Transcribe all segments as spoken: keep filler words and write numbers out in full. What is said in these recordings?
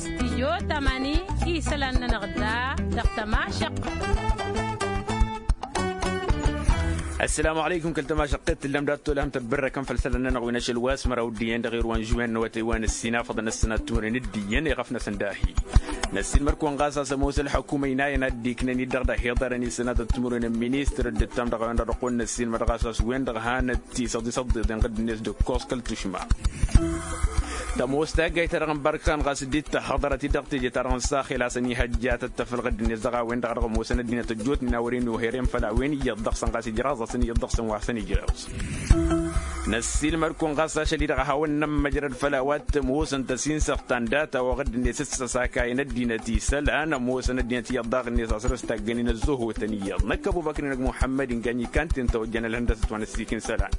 Stijyo tamani isălan-nănăɣ da dăɣ-tămašăq. Ăssălamu alăykum kăl-tămašăqqet tǝllăm dat-tolhăm tăbbărrăkăm făll-isălan-nănăɣ wi n-ašăl wa s-măraw d-iyyăn dăɣ-irwan žuwen n-awătay wa n-ǝssin afăḍăn ăssănat timǝrwen d-iyyăn iɣăf-năsăn dahi. Năssiilmăr-kăwăn ɣas a-s ămoos ălxukuma inayăn ad-dd-iknăn-dd dăɣ-dd-ăhiḍărăn isănatăt timǝrwen n-ministăr dd-ǝttam dăɣ-a-wen-dăɣ dăɣ-kăwăn-năssiilmăr ɣas a-s wen-dăɣ hanăt-tisăḍ isăḍḍiḍen ɣǝdd-net d-ǝkkoẓ kăl-tušma. Tămoos taggayt-ta-dăɣ n-bărkan ɣas dd-tăhhăḍărăt-dd dăɣ-teje-ta-dăɣ n-saxel a-s ănihăjja tăttăfăl ɣǝdd-net dăɣ-a-wen-dăɣ dăɣ-ămoosăn ăddinăt ăjjootnen a wăren uherem făll-a-wen iyyăḍ dăɣ-săn ɣas ijraẓ-asăn iyyăḍ dăɣ-săn wa săn ijrăẓ. Năssiilmăd-kăwăn ɣas ašăl-i-dăɣ a hawăn-nămmăjrăd făll-a-wa t-ămoosăn tăsinsăɣt ta n-data-wa ɣǝdd-net s-săsakayăn ăddinăt isălan ămoosăn ăddinăt iyyăḍ daɣ-net a săr-ǝstaggănen ăzzuhutăn iyyăḍ năkk ăbubăkr-i-năg muḥămmăd-in gany ikan-ten tawăjjan ălhăndăsăt wa n-ăssiikin isălan.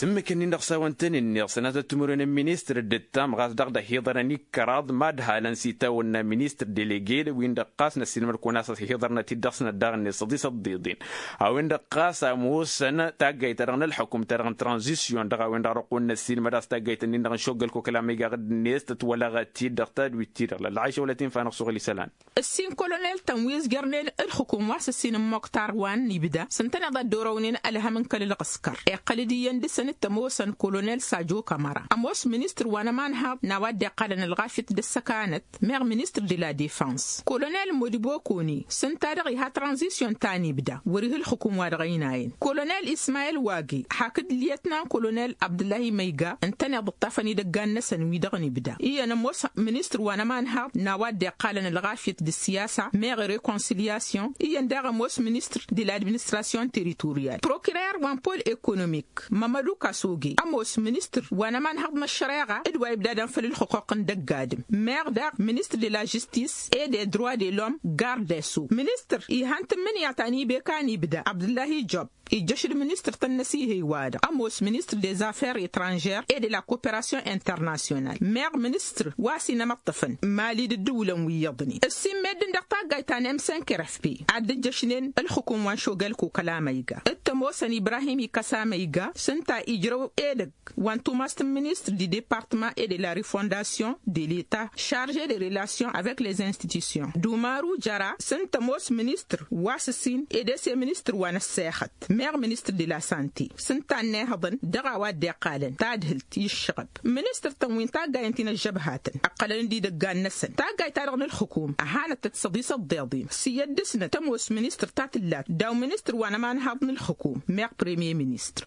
S-ǝmmǝk-ǝnnin-dăɣ s-a-wăn-tăn-innă iɣsănatăt timǝrwen n-ministăr dd-ǝttam ɣas dăɣ-dd-ăhiḍărăn ikkăraḍ mad-halăn s-itawănna ministăr delege wi n-dăɣ ɣas năssiilmăd-kăwăn a-s ăhiḍărnăt-dd dăɣ-snăt daɣ-net săḍi săḍḍiḍen. A-wen-dăɣ ɣas ămoosăn taggayt-ta-dăɣ n-ălxukum-ta-dăɣ n-tranzisyon dăɣ-a-wen-dăɣ dăɣ-kăwăn-năssiilmăd a-s taggayt-ǝnnin-dăɣ n-šoggăl kokăl amăyga ɣǝdd-net tǝtwălăɣăt-dd dăɣ-tadwit-ti-dăɣ lălɣayša wăla tinfa-năɣ suɣǝl isălan. Ǝssin kolonel-tăn wi ǝzjărnen ǝlxǝkum wa s-ǝssin n-moktar wa n-ibda s-ǝntăneḍ ad-dd-orăwnen ălhăm n-kăl-ǝlɣǝskăr iqqăl-dd iyyăn dăɣ-săn t-ămoosăn kolonel sajo kamăra ămoos ministăr wa n-ămanhaḍ n-a-wa dd-iqqalăn ălɣafyăt d-ăssăkanăt meɣ ministăr de la defăns kolonel modibokoni s-ǝnta-dăɣ iha tranzisyon ta n-ibda wăr-ih ǝlxǝkum wa dăɣ-ăynayăn kolonel ismayel wagi hakd lyetnan kolonel abdǝllahi măyga ǝntăneḍ ǝṭṭafăn idăggan-năsăn wi-dăɣ n-ibda iyyăn ămoos ministăr wa n-ămanhaḍ n-a-wa dd-iqqalăn ălɣafyăt d-ǝssiyasa meɣ rekonsǝlyasyon iyyăn daɣ ămoos ministăr de la administrasyon teritoryal prokirer wa n-pol ekonomik mămădu kasoge ămoos ministăr wa n-ămanhaḍ n-ăššăreɣa d-wa ibdadăn făll-ǝlxǝquq n-dăgg-adǝm meɣ daɣ ministăr de la žistis e de droi de lom gardeso ministăr ihăn tǝmmǝnǝya ta n-ibeka n-ibda abdǝllahi job ijjăš d-ministăr-tăn n-asihăy-wa-dăɣ ămoos ministăr de zafer etranžer e de la koperasyon internasyonal meɣ ministăr wa s-inămăṭṭăfăn mali d-ǝddǝwǝlăn wi iyyăḍnen ǝssin meddǝn dăɣ-taggayt ta n-emsenker fp ad-dd-ǝjjăšnen ǝlxǝkum wa n-šogăl kokăl amăyga d-tămoosăn ibrahim ikăs amăyga s-ǝnta ijrăw edăgg wa n-tumast n-ministăr d-departăma e de la refondasyon de leta šarže de relasyon avek les institusyon d-umaru jăra s-ǝnta ămoos ministăr wa s-ǝssin ed ese ministăr wa n-ăssexăt meɣ ministăr de la sante s-ǝnta ănnihăḍăn dăɣ-a-wa dd-iqqalăn tadhǝlt i-ǝššăɣăb ministăr-tăn wi n-taggayăn ti n-ăžžăbhatăn ǝqqălăn-dd idăggan-năsăn taggayt-ta-dăɣ n-ǝlxǝkum ăhanăt-tăt s-ăḍisăḍḍeḍ-in s-iyyăt dăɣ-snăt tămoos ministăr ta tǝllat daw-ministăr wa n-ămanhaḍ n-ǝlxǝkum meɣ premier ministăr.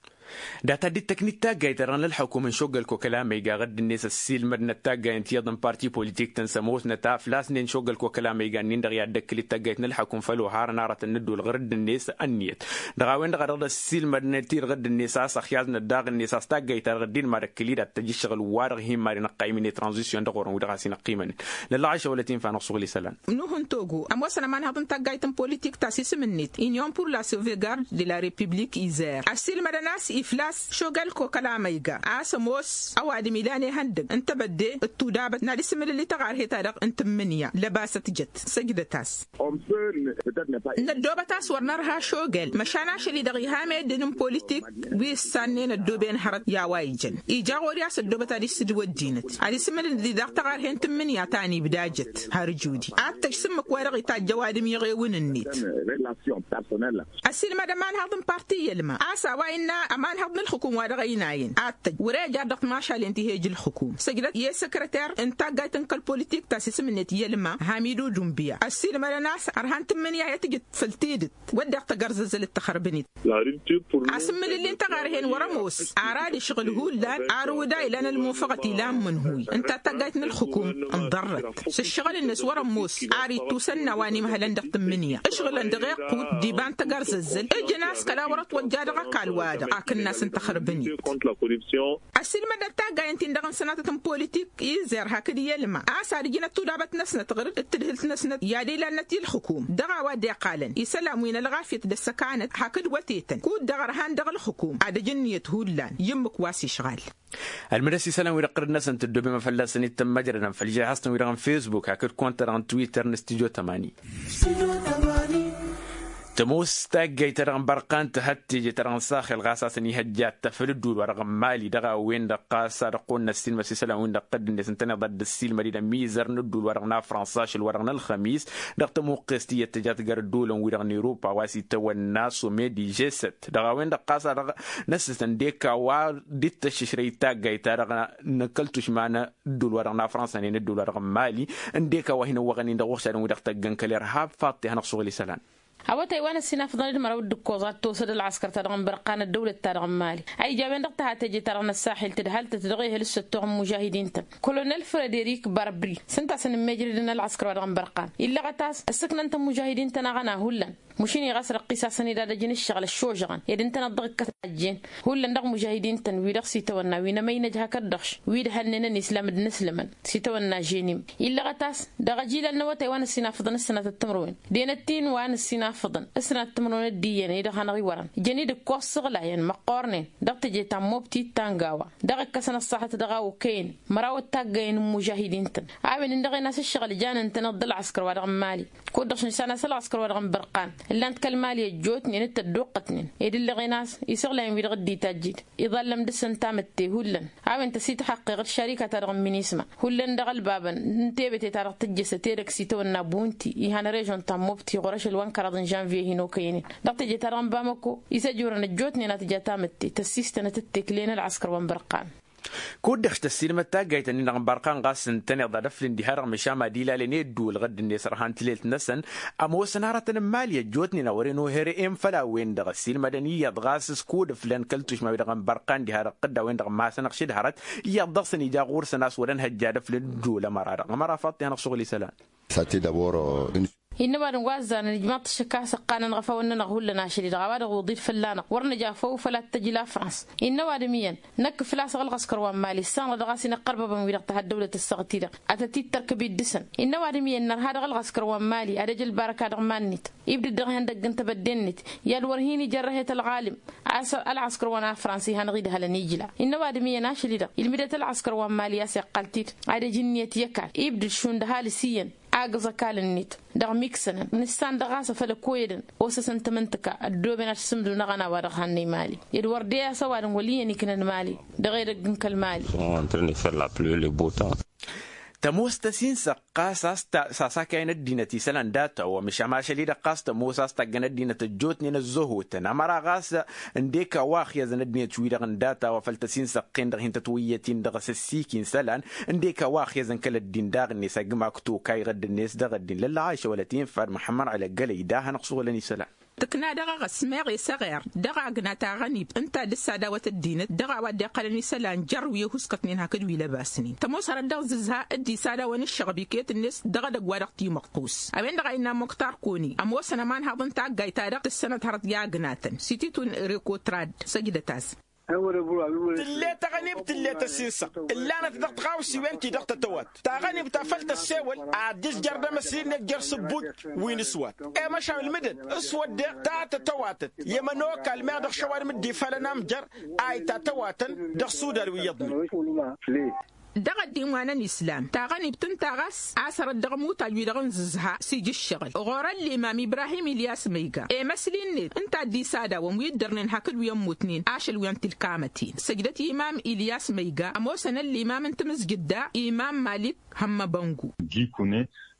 Data dd-tăknit taggayt-ta-dăɣ n-ălxukum n-šoggăl kokăl amăyga ɣǝdd-net ăssiilmădnăt taggayen ti iyyăḍ n-parti politik-tăn s-ămoosnăt a ăflasnen šoggăl kokăl amăyga-nin-dăɣ i-ad-dd-ăkkǝl-dd taggayt n-ălxukum făll-oharăn aratăn n-ădduul ɣur-dd-net ănniyăt dăɣ-a-wen-dăɣ a dăɣ-dd-ăssiilmădnăt-dd ɣǝdd-net a-s ăxyaznăt daɣ-net a-s taggayt-ta-dăɣ dd-inma d-ăkkǝl-dd ad-tăj ǝššăɣǝl wa-dăɣ hin-mad-inăqqaymin i-tranzisyon dăɣ-orăn wi-dăɣ a-s inăqqimănen lălɣayša wăla tinfa-năɣ suɣǝl isălan. Nuhǝn togo ămoosăn ămanhăḍ n-taggayt n-politik ta s-isǝm-net inyon pur la sauvegarde de la republik izer ăssiilmădăn a-s iflas šogal kokăla măyga a-s ămoos ăwadǝm ilan ihăndăg n-tebădde d-tudabăt n-ad-isǝmǝlǝl i-taɣarhe-ta-dăɣ n-tǝmmǝnǝya lăbasăt jăt săjdăt-as. Năddoobăt a-s wăr nărha šogal măšan ašăl-i-dăɣ iha meddǝn n-politik wi ǝssannen ăddooben hărăt i-a-wa ijăn ija ɣur-i a-s ăddoobăt ad-isǝdǝw ăddinăt ad-isǝmǝlǝl-di daɣ taɣarhe n-tǝmmǝnǝya ta n-ibda jăt har ǝjudi ad-tăj s-ǝmmǝk-wa-dăɣ itajj ăwadǝm iɣewǝn-net. Ăsiilmăd ămanhăḍ n-parti i-ălma a-s a-wa innă ămanhăḍ n-ǝlxǝkum wa dăɣ-ăynayăn ad-tăj wăr-e jar dăɣ-timašalen ti he-ǝj ǝlxǝkum săjdăt i-e-săkrăter n-taggayt n-kăl-politik ta s-isǝm-net i-ălma hamidu dunbǝya ăssiilmădăn a-s ărhan tǝmmǝnǝya i-ad-tǝjǝd făll-tidǝt wădden tăgărzăzzăl d-taxărbǝnit. Asǝmmǝlǝl-in taɣarhen wăr-ămoos ar ad-ǝšɣǝl hullan ar uda ilan ălmufăɣăt ilan mǝnhuy ǝnta taggayt n-ǝlxǝkum ǝnḍărrăt s-ǝššăɣǝl-net wăr-ămoos ar ittusănna wa n-imhălăn dăɣ-tǝmmǝnǝya ǝšɣǝlăn dăɣ-iqqut d-iba n-tăgărzăzzăl ǝjǝn a-s kăla wăr-ătwăjja dăɣ-ăkall-wa-dăɣ akǝnnas n-taxărbǝnit. Ăssiilmădăt taggayen-tin-dăɣ n-sănatăt n-politik izer hakd i-ălma a-s ad-ǝjǝnăt tudabăt-năsnăt ɣǝr-dd d-tǝdhǝlt-năsnăt i-ad-ilalnăt i-ǝlxǝkum dăɣ-a-wa dd-iqqalăn isălan wi n-ălɣafyăt d-ăssăkanăt hakd wătetăn kud-dăɣ ărhan dăɣ-ǝlxǝkum ad-ăj ǝnniyăt hullan i-ǝmmǝk wa s-išɣal. Ălmǝdăs isălan-wi-dăɣ ɣur-năsăn tǝddobem a fălla-săn ittămmăjrădăn făll-žehăẓ-tăn-wi-dăɣ n-fesbuk hakd konta-dăɣ n-twitter n-studyo tămani. Tămoos taggayt-ta-dăɣ n-bărqan tǝhăt teje-ta-dăɣ n-saxel ɣas a-s ănihăjja ad-tafăl ădduul-wa-dăɣ n-mali dăɣ-a-wen-dăɣ ɣas ad-ăqqoolnăt silmăt isălan-win-dăɣ tădd-net ǝntăneḍ a dd-ăssiilmăd-dd ămizăr n-ădduul-wa-dăɣ n-afrănsa ašăl-wa-dăɣ n-ălxămis dăɣ-tămuqqest iyyăt tăjat găr ădduulăn-wi-dăɣ n-europa a-wa s-itawănna somedi žesăt dăɣ-a-wen-dăɣ ɣas a dăɣ-năssăsăn d-eka wa dd-tăššǝšrăy taggayt-ta-dăɣ n-kăl-tušma n-ădduul-wa-dăɣ n-afrănsa n-en ădduul-wa-dăɣ n-mali, ǝndek a-wa hin-ăwwăɣăn-in dăɣ-uɣšadăn-wi-dăɣ tăggăn kăl-irhab faḍt-i a hanăɣ-suɣǝl isălan. A-wa tăyy wa n-ăssinafăḍăn d-măraw d-ǝkkoẓ ad-tosăd ălɣăskăr-ta-dăɣ n-bărqan ăddăwlăt-ta-dăɣ n-mali a ija a-wen-dăɣ tăha teje-ta-dăɣ n-ăssaxil tǝdhal-tăt dăɣ-ehăl s-săttoɣ n-mužahidin-tăn. Kolonel frederik barbri s-ǝnta a-s ănǝmmejrădăn ălɣăskăr-wa-dăɣ n-bărqan illăɣăt a-s ǝssǝknăn-tăn mužahidin-tăn aɣăna hullan. Măšin iɣas răqqis-asăn-dd ad-ăjǝn ǝššăɣǝl ăššožăɣăn ed ǝntăneḍ dăɣ-ikkăt tajjen hullan dăɣ-mužahidin-tăn wi-dăɣ s-itawănna wi n-emăynăj hakd-dăɣš wi d-hălnen ănislam d-inǝslămăn s-itawănna ženim. Illăɣăt a-s dăɣ-ajilal n-awătay wa n-ăssinafăḍăn s-sănatăt timǝrwen d-enăt-in wa n-ăssinafăḍăn s-sănatăt timǝrwen dd-iyyăn i-dăɣ hanăɣ-iwărăn jăn-dd ǝkkoẓ săɣlayăn măqqoornen dăɣ-teje ta n-mobti d-tangawa. Dăɣ-ǝkkăsăn ăṣṣaḥăt dăɣ-a okăyăn măraw d-taggăyăn n-imužahidin-tăn a-wen ǝnneɣen a-s ǝššăɣǝl jan ǝntăneḍ d-ălɣăskăr-wa-dăɣ n-mali. Kud-dăɣ šăn s-a-s ălɣăskăr-wa-dăɣ n-bărqan ǝllan-t kăl-mali ăjjootnen d-tădduqqătnen ed ǝlleɣen a-s isăɣlayen wi-dăɣ dd-itajjid iḍallăm dăɣ-săn tamǝtte hullan. A-wen tăsităxăqqeɣ d-šarika-ta-dăɣ n-minisma hullan dăɣ-ălbabăn n-tebete-ta-dăɣ tǝjjăsăt edăgg s-itawănna bunti ihăn režon ta n-mobti ɣur-ašăl wa n-kăraḍ n-žănviye hin-okăynen dăɣ-teje-ta-dăɣ n-bamăko. Isăjurăn ăjjootnen ad-tǝja tamǝtte tăssistănăt d-tekle n-ălɣăskăr wa n-bărqan. Kud-dăɣ tăssiilmăd taggayt-nin-dăɣ n-bărqan ɣas ǝntăneḍ ad-ăflǝn diha-dăɣ măšan mad-ilalăn i-ădduul ɣǝdd-net ărhan tilelt-năsăn. Ămoosăn hărătăn n-mali ăjjootnen a wăren ohere-en făll-a-wen-dăɣ ăssiilmădăn iyyăḍ ɣas s-kud-ǝflăn kăl-tušma-wi-dăɣ n-bărqan diha-dăɣ tădd a-wen-dăɣ masăn-ăɣšǝd hărăt iyyăḍ dăɣ-săn ija ɣur-săn a-s wăr-ănhăjja ad-ăflǝn ădduul ămăra-dăɣ ămăra faḍt-i hanăɣ-suɣǝl isălan. Innă ăwadǝm wa ăzzarăn ijmaḍ-t ǝššǝk a-s ăqqanăn ɣăfawăn-nănăɣ hullan ašăl-i-dăɣ a-wa-dăɣ uḍil fălla-năɣ wăr nǝja făw făl ad-t-tăj la frans. Innă ăwadǝm iyyăn năkk făl-a-s ăɣ-ălɣăskăr wa n-mali ǝssanăɣ-dăɣ a-s inăqqărbăbăn wi-dăɣ tăhăddăwlăt ǝssaɣăt-i-dăɣ ad-tăt-dd-tărkǝb-dd dăɣ-săn. Innă ăwadǝm iyyăn nărha dăɣ-ălɣăskăr wa n-mali ad-ăj ălbarăka dăɣ-iman-net ibdǝd dăɣ-ihăndăgg n-tebădde-net i-ad-wăr hin-ijărrăhet ălɣalǝm. A-s ălɣăskăr wa n-afrans ihănăɣ-idhălăn ijla. Innă ăwadǝm iyyăn ašăl-i-dăɣ ilmǝdăt ălɣăskăr wa n-mali a-s iqqal-t-dd ad-ăj ǝnniyăt i-ăkall ibdǝd šund ăhalǝs iyyăn. Agǝẓ ăkall-net dăɣ-miksănăn nǝssan dăɣ-a-s a făl ăkoyădăn osăsăn tamǝntǝka ăddooben ad-sǝmdǝw n-aɣăna wa dăɣ-hannăy mali. Ed wăr de a-s ăwadǝm wăl' iyyăn iknăn mali dăɣ-edăgg n-kăl-mali. Tămoos tăsinsăɣ ɣas a-s tasakayăn ăddinăt isălan data-wa măšan ašăl-i-dăɣ ɣas tămoos a-s taggăn ăddinăt ăjjootnen ăzzăhotăn ămăra ɣas ǝndek a-wa ăxyăzăn ăddinăt-wi-dăɣ n-data-wa făl tăsinsăɣ-ten-dăɣ hin-tătwǝyyăt-in dăɣ-s ăssiik-in isălan. Ǝndek a-wa ăxyăzăn kăl-ăddin daɣ-net agǝm ak tokay ɣǝdd-net dăɣ-ăddin lălla ašăwălăt infa d-muḥămmăd ălăggălăy da hanăɣ-suɣǝlăn isălan. Tǝkna dăɣ-eɣăs meɣ esăɣer dăɣ-agna taɣănibt ǝnta a dd-sădawăt ăddinăt dăɣ-a-wa dd-iqqălăn isălan jer-wi ăhuskătnen hakd wi lăbasnen tămoos hărăt dăɣ-zǝzha. D-isădawăn ǝššăɣb iket-net dăɣ-edăgg wa dăɣ-timăqqus a-wen-dăɣ a innă muktar koni ămoosăn ămanhăḍ n-taggayt-ta-dăɣ tǝssănăt hărăt i-agnatăn s-ititun rekotrad. Săjdăt-as. Tǝlle taɣănibt tǝlle tăsinsăɣ ǝllanăt dăɣ-tiɣawsiwen-ti-dăɣ tătăwat taɣănibt a făl tăssewăl ad-dd-tǝjjăr d-emăsli-net jer-sǝbbuj wi n-s-wăt. I-măšan ǝlmǝdăn s-wădden ta tătăwatăt i-emănokal meɣ dăɣ-šăwadǝm dd-ifalăn amjăr a itatăwatăn dăɣ-sudan wi iyyăḍnen. Dăɣ-ăddin wa n-ănislam taɣănibt ǝnta ɣas a-s hărăt dăɣ-ămutaj-wi-dăɣ n-zǝzha s-ija ǝššăɣǝl ɣur-ăllimam ibrahim ilyas măyga emăsli-net ǝnta a dd-isadawăn wi ǝddărnen hakd wi ămmutnen ašăl wi n-tilkamătin săjdăt imam ilyas măyga ămoosăn ăllimam n-tamǝzjǝt daɣ imam malik hămmăbăngu.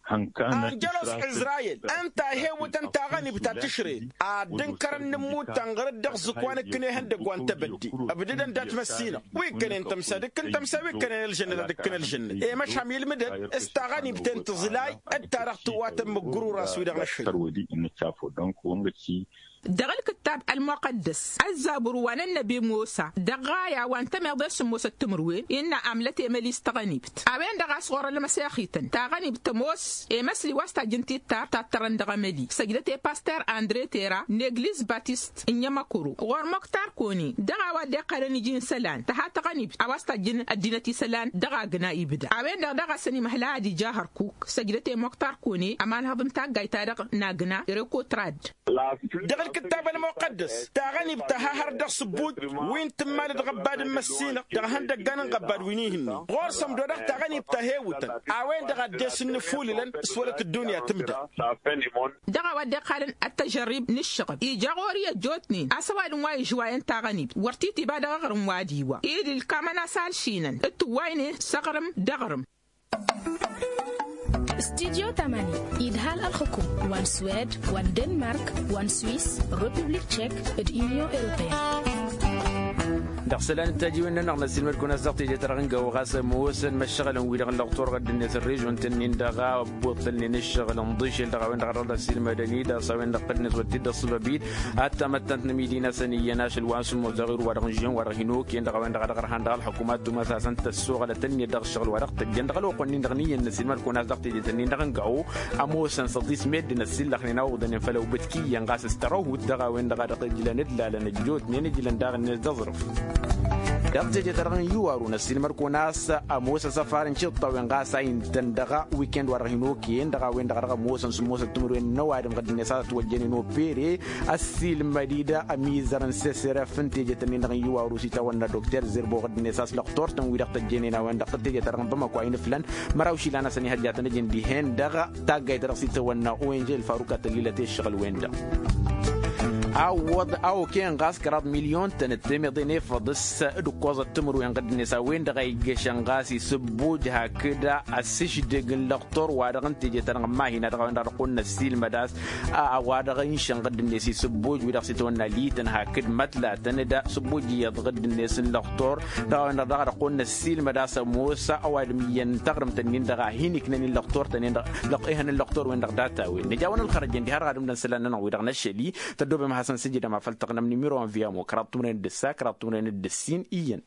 Anjălos izrayil ǝnta a ihewǝtăn taɣănibt ta tǝšrăyăt ad-dd-ǝnkărăn n-ǝmmut ta n-ɣărăt dăɣ-zǝkk wa n-ǝkkǝn ihăndăgg wa n-tebădde ǝbdădăn dat-măssinăɣ wi ǝkkănen tămsa ad-ǝkkǝn tămsa wi ǝkkănen ălžănnăt ad-ǝkkǝn ălžănnăt. I-măšham ilmǝdăn s-taɣănibt-en tǝẓlay d-ta-dăɣ tǝwatăn măggurur a-s wi-dăɣ năšhǝl. Dăɣ-ǝlkǝttab ălmuqăddăs ăzzabur wa n-ănnăbi musa dăɣ-ɣaya wa n-tămeḍe s-ămoosăt timǝrwen innă amlăt emăli s-taɣănibt a-wen-dăɣ a-s ɣur-ălmăsexităn taɣănibt tămoos emăsli wa s-tajjǝn tittar tattărăn dăɣ-emăli săjdăt i-paster andre tera n-egliz batist n-emăkuru ɣur-muktar koni dăɣ-a-wa dd-iqqălăn iji n-isălan tăha taɣănibt a-wa s-tajjǝn ăddinăt isălan dăɣ-agna ibda a-wen-dăɣ daɣ a-s ănimăhla ad-ija hărkuk săjdăt i-muktar koni ămanhăḍ n-taggayt-ta-dăɣ n-agna rekotrad. Dăɣ-ǝl Kǝttab ălmuqăddăs taɣănibt a ha hărăt dăɣ-sǝbbuj wi n-tǝmmalăt ɣăbbad n-măssinăɣ dăɣ-ihăndăggan n-ɣăbbad wi n-ihǝnni ɣur-săn dd-odăɣ taɣănibt a hewǝtăn a-wen-dăɣ a dd-e-s ǝnnǝfulǝlăn s-wălăt ăddunya tǝmdăɣ. Dăɣ-a-wa dd-iqqalăn ăttăžărrib n-ǝššăɣǝb ija ɣur-i ăjjootnen a-s ăwadǝm wa ižwayăn taɣănibt wăr titǝba dăɣ-aɣrǝm wa d-iwa idǝl kamăn-as alšinăn d-tǝwwaynen s-aɣrǝm d-aɣrǝm. Studyo tamani idhal ălxukum wa n-swed wa n-denmark wa n-swiss, republik tšek d-unyon europeyăn. Dăɣ-isălan d-tajiwen-nănăɣ n-ăssiilmăd-kăwăn a-s dăɣ-teje-ta-dăɣ n-gawo ɣas ămoosăn măššăɣǝlăn-wi-dăɣ n-lăɣtor ɣăddǝnet ălrežon-tăn-in-dăɣ a ăbbuḍ-tălnen ǝššăɣǝl ǝnḍǝšel dăɣ-a-wen-dăɣ a dăɣ-dd-ăssiilmădăn-dd a-s a-wen-dăɣ tǝdnǝs wăr t-dd-ăṣṣăbăb-dd. Ad-tamăttant n-amidi-năsăn iyyăn ašăl wa n-sǝmmos dăɣ-iru wa dăɣ-nǝžžen wa dăɣ-hin-okăyăn dăɣ-a-wen-dăɣ a dăɣ-ărhan dăɣ-ălxukum ad-tumas a-s ǝnta ăssoɣălăt-net dăɣ-ǝššăɣǝl wa dăɣ-tăjjăn dăɣ-ălwăqq-nin-dăɣ n-iyyăn n-ăssiilmăd-kăwăn a-s dăɣ-teje-tăn-in-dăɣ n-gawo. Ămoosăn săḍis meddǝn ăssillăxnen a uḍănen făll-awbǝtki iyyăn ɣas s-tărăhut dăɣ-a-wen-dăɣ a dăɣ-ijlăn ǝllalăn ăjjootnen ijlăn daɣ-net d-aẓrǝf. Dăɣ-teje-ta-dăɣ n-iwaru n-ăssiilmăd-kăwăn a-s ămoos asăfar n-tiṭṭawen ɣas a intăn dăɣ-wikend wa dăɣ-hin-okăyăn dăɣ-a-wen-dăɣ a dăɣ-ămoosăn sǝmmosăt timǝrwen n-ăwadǝm ɣǝddǝnet a-s ătwăjjănen opere. Ăssiilmăd-dd ămizăr n-seseref n-teje-tăn-in-dăɣ n-iwaru s-itawănna dokter zerbo ɣǝddǝnet a-s lăqtor-tăn wi-dăɣ tăjjănen a-wen-dăɣ teje-ta-dăɣ n-bamako a inǝflan. Măraw išilan a-s ănihăjja a tăn-ăjǝn dihen-dăɣ taggayt ta dăɣ-s itawănna o n j el faruk a tăllilăt i-ǝššăɣǝl-wen-dăɣ. A wăḍ a okăyăn ɣas kăraḍ milyon-tăn d-temeḍe n-efăḍ s-dd-ǝkkoẓăt timǝrwen ɣǝddǝnet a-wen-dăɣ a iggăšăn ɣas isǝbbuj hakd ăssǝšdǝg n-lăqtor wa-dăɣ n-teje-ta-dăɣ n-mahina dăɣ-a-wen-dăɣ a dăɣ-kăwăn-năssiilmăd a-s a-wa-dăɣ inšăn ɣǝddǝnet isǝbbuj wi-dăɣ s-itawănna lităn hakd mătlatăn d-sǝbbuj iyyăḍ ɣǝddǝnet n-lăqtor dăɣ-a-wen-dăɣ daɣ a dăɣ-kăwăn-năssiilmăd a-s ămoos ăwadǝm iyyăn taɣrǝmt-nin-dăɣ a hin-iknăn i-lăqtor-tăn-in-dăɣ ihăn n-lăqtor-wen-dăɣ data-wen nǝja-wăn ălxărăjăn diha ărɣadǝm-dăn isălan-nănăɣ wi-dăɣ năššăl-i. Tăddoobem ad-hasăn-sǝjǝdăm afăl tăɣnăm nimiro n-viyamo kăraḍ timǝrwen d-ǝssa kăraḍ timǝrwen d-ǝssin iyyăn.